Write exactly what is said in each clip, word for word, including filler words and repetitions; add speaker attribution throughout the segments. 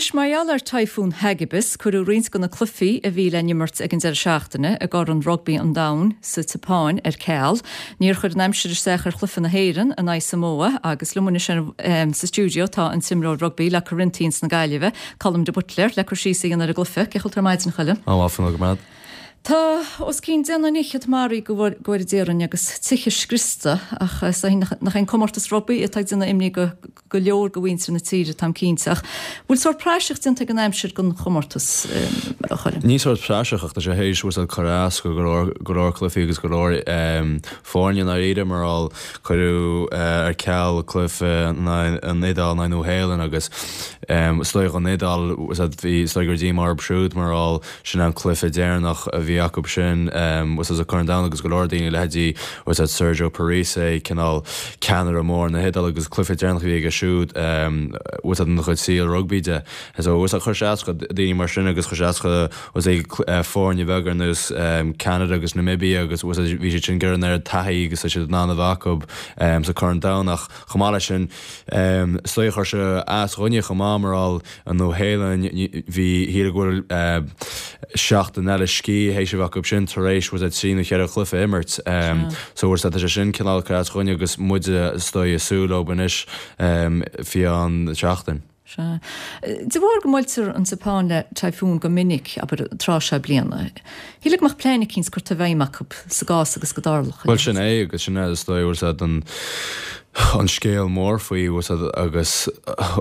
Speaker 1: Anois mar gheall ar Typhoon Hagibis cuireadh roinnt de na cluichí a bhí le n-imirt ag an deireadh seachtaine i gCorn Rugbaí an Domhain sa tSeapáin ar ceal. Níor chuir an aimsir isteach ar chluiche na hÉireann in aghaidh Samoa agus liom anois um, sa stiúideo tá an t-imreoir rugbaí le Corinthians na Gaillimhe, Colm de Buitléar le cur síos ar an gcluiche, cén chaoi a bhfuil tú ar maidin a Choilm.
Speaker 2: An go maith.
Speaker 1: Tá os cionn deich nduine fhichead maraithe go bhfuair déarfainn agus tithe scriosta ach nach an comórtas rugbaí atá ag déanamh imní go go leor de mhuintir na tíre táim cinnte ach bhfuil sórt praiseach déanta ag an aimsir don chomórtas a Choilm.
Speaker 2: Ní sórt praiseach ach tá sé théis bhfuil cur as go go leor cluichí agus go leor foirne na réide mar cuireadh ar ceal cluiche an Iodáil ná Nua-Shéalainn agus is dóigh an Iodáil bhí is dóigh gur díomá orthu siúd mar sin an cluiche deireanach a bhí acu sin was as a Corn Domhanda agus go leor daoine leithéidí was at Sergio Parisse cineál ceannaire mór na hIodáile agus cluiche deireanach bhí aige siúd was an chud sí rugby de. So was a chuir sé daoine mar sin agus chuir sé was é foirne beaga ar nós Canada agus Namibia agus was bhí siad sin gur an ar taithí agus siad ná acu sa Corn Domhanda chomh maith leis sin is dóigh chuir sé as dhuine chomh maith mar an Nua-Shéalainn bhí hí bhfuil seachtain eile scíthe théis acu sin tar éis was trí nó ceithre chluiche imirt so was sé sin cineál cur as dhuine agus muide is dóigh ag súil leo anois faoi an seachtain.
Speaker 1: Sea. De bharr go mbuailtear an tSeapáin le typhoon go minic abair tráth seo bliana. Shílfeá go mbeadh plean eicínt curtha i bhfeidhm acu sa gcás agus go dtarlódh.
Speaker 2: Well sin é agus sin é is dóigh was an an scéal mór faoi was agus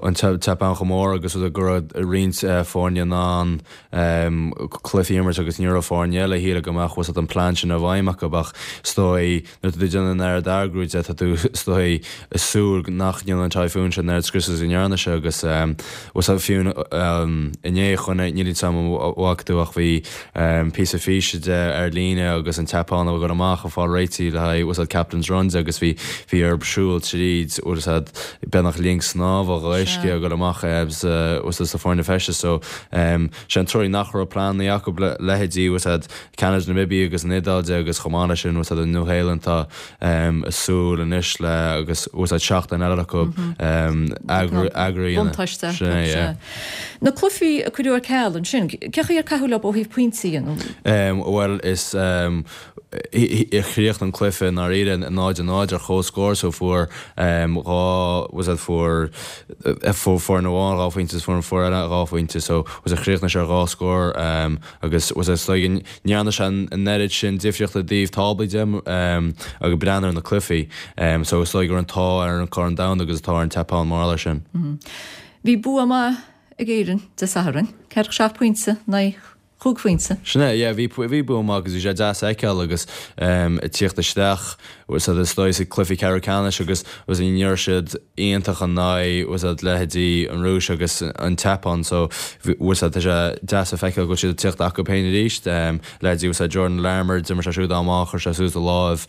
Speaker 2: an tSeapáin chomh mór agus go raibh roinnt foirne in ann cluichí a imirt agus ní raibh foirne eile shíl go mbeadh was an plean sin i bhfeidhm acu ach is dóigh nuair tú déanamh an oiread eagrú de tá tú is dóigh ag súil nach ndéanann an typhoon sin an oiread scrios is a ndearna sé agus was fiú inné chun níl sam bhfuac tú ach bhí píosa físe de ar líne agus an tSeapáin a go amach a fáil réití le haghaidh was captain's runs agus bhí bhí ar siúl tríd was beagnach linn snámha uisce a go amach was sa foirne feiste so sé an trua nach raibh plean acu leithéidí was Canada Namibia agus an Iodáil de agus chomh maith leis sin was an Nua-Shéalainn tá ag súil anois le agus was seachtain eile acu eagraí
Speaker 1: Buntáiste. Na cluichí a cuireadh ar ceal ansin, cé chaoi ar caitheadh leo ó thaobh pointí nó?
Speaker 2: Well is chríochnaigh an cluiche ndáiríre náid náid ar comhscór so fuair dhá was fuair fuair amháin dhá phointe fuair fuair eile dhá phointe so was a chríochnaigh sé ar dhá scór agus was ní dhearna sé an oiread sin difríochta díobh táblaí de agus breathnú ar na cluichí so is gur an t-ádh ar an Corn Domhanda agus atá ar an tSeapáin mar leis sin.
Speaker 1: Bhí bua maith ag Éirinn Dé Sathairn, ceathracha seacht pointe ná chúig phointe.
Speaker 2: Sin é, yeah, bhí bhí bua maith agus bhí sé deas a fheiceáil agus ag tíocht isteach was is dóigh sa cluiche ceathrú ceannais agus was ní raibh siad iontach an náid was leithéidí an Rúis agus an tSeapáin so was tá sé deas a feiceáil go siad tíocht acu féin arís leithéidí was Jordan Larmour d'imir sé siúd amach chuir sé suas a lámh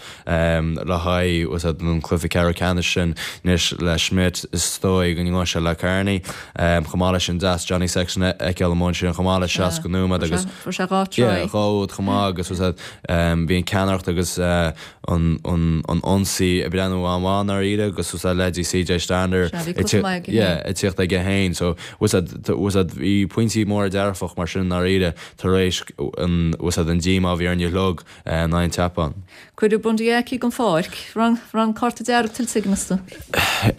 Speaker 2: le haghaidh was an cluiche ceathrú ceannais sin anois le Schmidt is dóigh go ndéanfaidh sé le Kearney chomh maith leis sin deas Johnny Sexton a fheiceáil amuigh ansin chomh maith le seasca nóiméad agus
Speaker 1: Fuair sé dhá try.
Speaker 2: dhá úd chomh maith agus was bhí an ceannaireacht agus an an ionsaí ag breathnú an-mhaith ndáiríre agus was leithéidí CJ Stander
Speaker 1: Sea, bhí cluiche maith aige féin.
Speaker 2: ag tíocht aige féin so was was bhí pointí móra dearfach mar sin ndáiríre tar éis an was an díomá a bhí ar an log ná an tSeapáin.
Speaker 1: Cuireadh Bundee Aki den pháirc, raibh cárta dearg tuillte aige meas tú.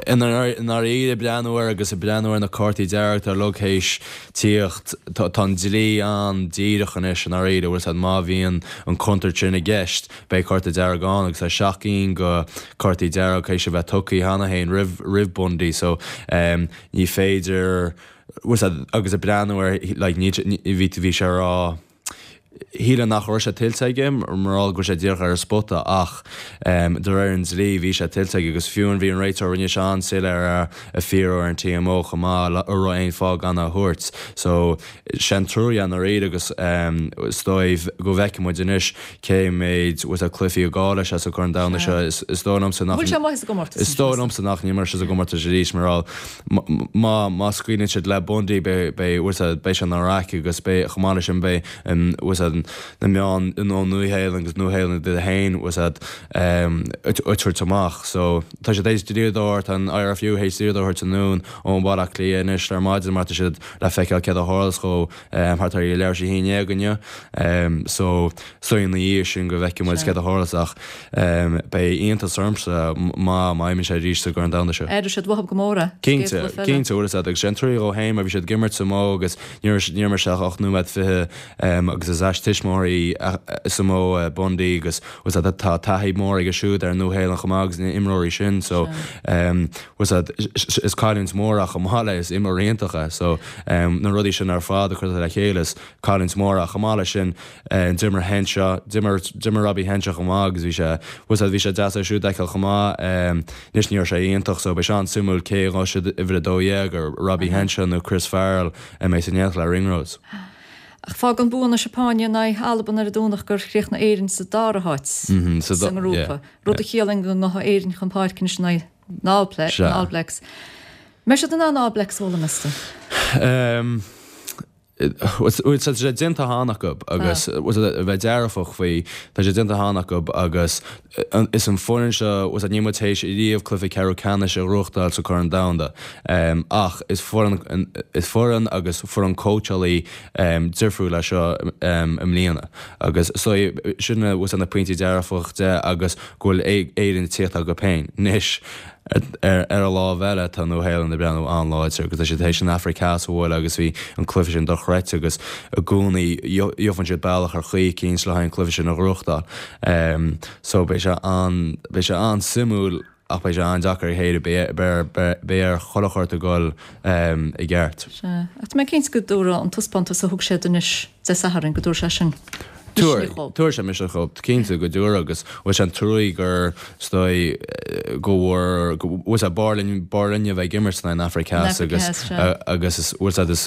Speaker 2: I ndáiríre breathnú air agus breathnú ar na cártaí dearg ar log théis tíocht tá an dlí an-díreach anois i ndáiríre bhfuil má bhíonn an contúirt sin i gceist beidh cárta dearg ann agus tá seacht gcinn de cártaí dearg théis a bheith tugtha cheana féin roimh roimh Bundee so um, ní féidir agus a breathnú ar like, ní bhí bhí sé rá Shíle nach raibh sé tuillte aige mar go sé díreach ar an spota ach um, de réir an dlí bhí sé tuillte aige agus fiú an bhí an réiteoir rinne sé an-soiléir ar a fiarú ar an TMO chomh maith le raibh aon fáth gan a thabhairt. So sin trua i ndáiríre agus um, is dóigh go bhfeicfidh muid anois cé méid was a cluichí a gá leis as a Chorn Domhanda seo is is dóigh liomsa nach
Speaker 1: Bhfuil sé maith sa gcomórtas
Speaker 2: Is dóigh liomsa nach n-imreoidh sé sa gcomórtas arís mar má má scaoileann siad le Bundee beidh beidh sé an raic agus beidh chomh maith leis sin beidh was bhfuil a fhios agat na meáin ón Nua-Shéalainn agus Nua-Shéalainn iad féin bhfuil a fhios agat ag tabhairt amach. So tá siad théis dlíodóir, tá an IRFU théis dlíodóir a thabhairt anonn ó Bhaile Átha Cliath anois ar maidin mar tá siad le feiceáil céard a tharlós dhó thart ar leathuair tar éis a haon déag inniu. So so ina dhiaidh sin go bhfeicfidh muid céard a tharlós ach beidh iontas ormsa má má imíonn sé arís sa gCorn Domhanda seo.
Speaker 1: Aireoidh siad uathu go mór é.
Speaker 2: Cinnte, cinnte bhfuil a fhios agat agus sé an trua dhó féin mar bhí siad ag imirt Samó agus níor imir sé ach ocht nóiméad fiche agus is as tuismitheoirí Samó Bundee agus bhfuil a fhios agat tá taithí mór aige siúd ar an Nua-Shéalainn chomh maith agus na imreoirí sin so bhfuil a fhios agat is cailliúint mór ach chomh maith le is imreoir iontach é so na rudaí sin ar fad a chur le chéile is cailliúint mór ach chomh maith leis sin d'imir Henshaw d'imir d'imir Robbie Henshaw chomh maith agus bhí sé bhfuil a fhios agat bhí sé deas é siúd a fheiceáil chomh maith anois ní raibh sé iontach so beidh sé an-suimiúil cé a ghabhfaidh siad uimhir a dó dhéag ar Robbie Henshaw nó Chris Farrell a mbeidh san éineacht le Ringrose.
Speaker 1: Ach fágann bua na Seapáine in aghaidh Alban ar an Domhnach gur chríochnaigh Éirinn sa dara háit sa ngrúpa, rud a chiallaíonn go ngabhfaidh Éirinn chun páirce anois in aghaidh na All Blacks. Mbeidh siad in ann All Blacks a bhualadh, meas tú?
Speaker 2: Tá sé déanta cheana acu agus bheith dearfach faoi, tá sé déanta cheana acu agus is an foireann seo, níl muid théis riamh cluiche ceathrú ceannais a ghnóthachtáil sa Chorn Domhanda ach is foireann is foireann agus foireann cóitseálaí difriúil é seo i mbliana agus so sin na pointí dearfach de agus go bhfuil Éirinn ag tíocht acu féin. Anois ar an lámh eile tá Nua-Shéalainn ag breathnú an-láidir agus tá siad théis an Afraic Theas a bhualadh agus bhí an cluiche sin dochreidte agus i gcónaí gheobhann siad bealach ar chaoi eicínt le haghaidh an cluiche sin a ghnóthachtáil. So beidh sé an beidh sé an-suimiúil ach beidh sé an-deacair a chéile beidh ar chuile shórt a dhul i gceart.
Speaker 1: Sea. Ach tá mé cinnte go dtabharfaidh an taispeántas a thug siad anois Dé Sathairn, go dtabharfaidh sé sin
Speaker 2: misneach dhóibh. Tabharfaidh sé misneach dhóibh, cinnte go dtabharfaidh agus bhfuil sé an truaí gur is dóigh go bhfuair, go bhfuil sé b'fhearr linn, b'fhearr linne a bheith ag imirt in aghaidh an Afraic Theas agus agus is bhfuil sé is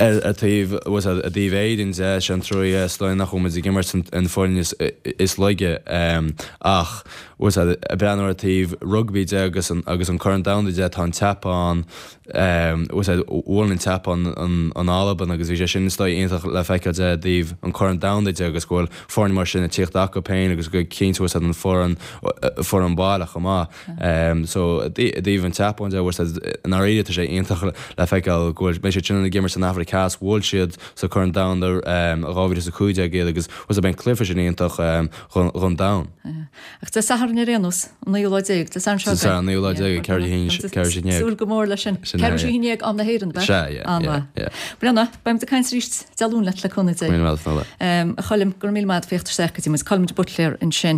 Speaker 2: ar ar taobh bhfuil sé i dtaobh Éirinn de sé an truaí é is dóigh nach bhfuil muid ag imirt an foireann is is laige ach bhfuil sé ag breathnú ar taobh rugbaí de agus an agus an Corn Domhanda de tá an tSeapáin Bhuail an tSeapáin an Albain agus bhí sé sin is dóigh iontach le feiceáil de i dtaobh an Chorn Domhanda de agus go bhfuil foirne mar sin ag tíocht acu féin agus go cinnte bhfuil siad an foireann foireann baile chomh maith. So i dtaobh an tSeapáin de bhfuil siad i ndáiríre tá sé iontach le feiceáil go bhfuil beidh siad sin ag imirt san Afraic Theas bhuail siad sa Chorn Domhanda dhá mhíle is a cúig déag iad agus bhfuil siad beidh an cluiche sin iontach dhon domhan.
Speaker 1: Ach Dé Sathairn ar aon nós, an naoú lá déag, Dé Sathairn seo
Speaker 2: againn. Dé Sathairn an naoú lá déag ag ceathrú a haon déag.
Speaker 1: Súil go mór leis sin. Ceathrú a haon déag am na hÉireann, ab ea?
Speaker 2: Sea, yeah,
Speaker 1: An-mhaith.
Speaker 2: yeah.
Speaker 1: Bhuel, beidh muid ag caint arís Dé Luain leat le cúnamh Dé.
Speaker 2: Go raibh míle maith agat, Fionnuala.
Speaker 1: A Choilm, go raibh míle maith agat féacht isteach go dtí muid. Colm de Buitléar ansin.